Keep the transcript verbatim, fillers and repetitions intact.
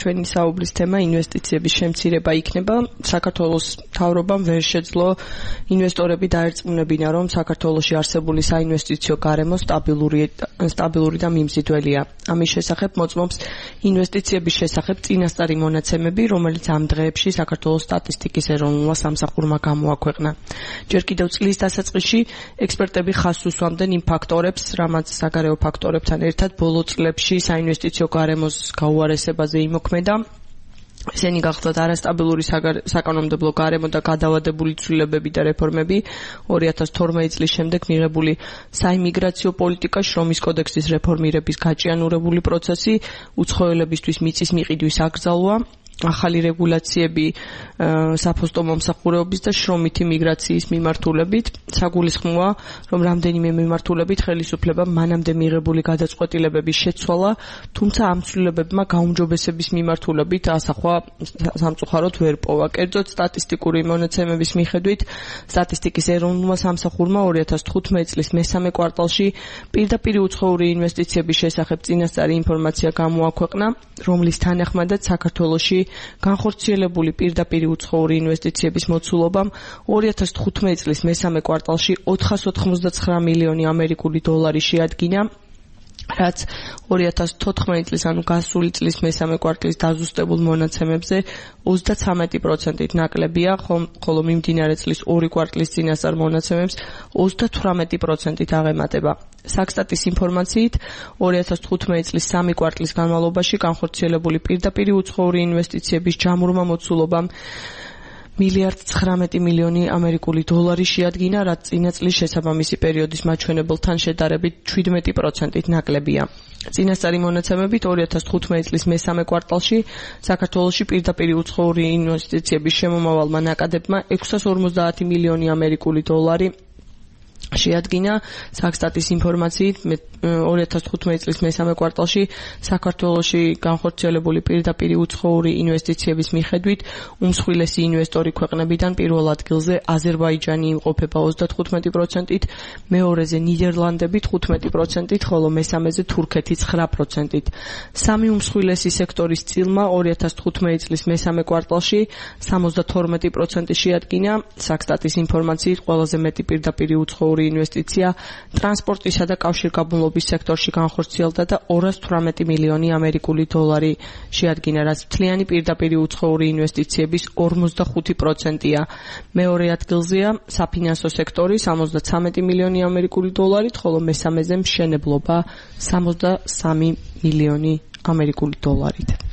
ჩვენი საუბრის თემა ინვესტიციების შემცირება იქნება. საქართველოს მთავრობამ ვერ შეძლო ინვესტორები დაერწმუნებინა, რომ საქართველოში არსებული საინვესტიციო გარემო სტაბილური სტაბილური და მიმზიდველია. ამის შესახებ მოწმობს ინვესტიციების შესახებ წინასწარი მონაცემები, რომელიც ამ დღეებში საქართველოს სტატისტიკის ეროვნულმა სამსახურმა გამოაქვეყნა. ჯერ კიდევ წლის დასაწყისში ექსპერტები ხაზს უსვამდნენ იმ ფაქტორებს, რამაც საგარეო ფაქტორებთან ერთად ბოლო წლებში საინვესტიციო გარემოს გაუარესებაზე იმოქმედა. ესენი გახლდათ არასტაბილური საკანონმდებლო გარემო და გადავადებული ცვლილებები და რეფორმები, ორი ათას თორმეტი წლის შემდეგ მიღებული საიმიგრაციო პოლიტიკა, შრომის კოდექსის რეფორმირების გაჭიანურებული პროცესი, უცხოელებისთვის მიწის მიყიდვის აკრძალვა, ახალი რეგულაციები საფოსტო მომსახურეობის და შრომითი მიგრაციის მიმართულებით. საგულისხმოა, რომ რამდენიმე მიმართულებით ხელისუფლებამ მანამდე მიღებული გადაწყვეტილებების შეცვალა, თუმცა ამ ცვლილებებმა გაუმჯობესების მიმართულებით ასახვა სამწუხაროდ ვერ პოვა. კერძოდ, სტატისტიკური მონაცემების მიხედვით, სტატისტიკის ეროვნულმა სამსახურმა ორი ათას თხუთმეტი წლის მესამე კვარტალში პირდაპირ უცხოური ინვესტიციების შესახებ წინასწარი ინფორმაცია გამოაქვეყნა, რომლის თანახმადაც საქართველოში განხორციელებული პირდაპირ უცხოური ინვესტიციების მოცულობამ ორი ათას თხუთმეტი წლის მესამე კვარტალში ოთხას ოცდათხმეტ მილიონი ამერიკული დოლარი შეადგინა, რაც ორი ათას თოთხმეტი წლის, ანუ გასული წლის მესამე კვარტლის დაზუსტებულ მონაცემებზე ოცდაცამეტი პროცენტით ნაკლებია, ხოლო მიმდინარე წლის ორი კვარტლის წინასწარ მონაცემებს ოცდათვრამეტი პროცენტით აღემატება. საქსტატის ინფორმაციით, ორი ათას თხუთმეტი წლის სამი კვარტლის განმავლობაში განხორციელებული პირდაპირ უცხოური ინვესტიციების ჯამურმა მოცულობამ მილიარდ ცხრამეტი მილიონი ამერიკული დოლარი შეადგინა, რაც წინა წლის შესაბამისი პერიოდის მაჩვენებელთან შედარებით ჩვიდმეტი პროცენტით ნაკლებია. წინასწარი მონაცემებით ორი ათას თხუთმეტი წლის მესამე კვარტალში საქართველოში პირდაპირ უცხოური ინვესტიციების შემომავალმა ნაკადებმა ექვსას ორმოცდაათი მილიონი ამერიკული დოლარი შეადგინა. საქსტატის ინფორმაციით, ორი ათას თხუთმეტი წლის მესამე კვარტალში საქართველოში განხორციელებული პირდაპირ უცხოური ინვესტიციების მიხედვით უმსხვილესი ინვესტორი ქვეყნებიდან პირველ ადგილზე აზერბაიჯანი იმყოფება ოცდათხუთმეტი პროცენტით, მეორეზე ნიდერლანდები თხუთმეტი პროცენტით, ხოლო მესამეზე თურქეთი ცხრა პროცენტით. სამი უმსხვილესი სექტორის წილმა ორი ათას თხუთმეტი წლის მესამე კვარტალში სამოცდათორმეტი პროცენტი შეადგინა. საქსტატის ინფორმაციით, ყველაზე მეტი პირდაპირ უცხოური ინვესტიცია ტრანსპორტისა და კავშირგაბმულობის სექტორში განხორციელდა და ორას თვრამეტი მილიონი ამერიკული დოლარი შეადგინა, რაც მთლიანი პირდაპირ უცხოური ინვესტიციების ორმოცდახუთი პროცენტია. მეორე ადგილზეა საფინანსო სექტორი სამოცდაცამეტი მილიონი ამერიკული დოლარით, ხოლო მესამეზე მშენებლობა სამოცდასამი მილიონი ამერიკული დოლარით.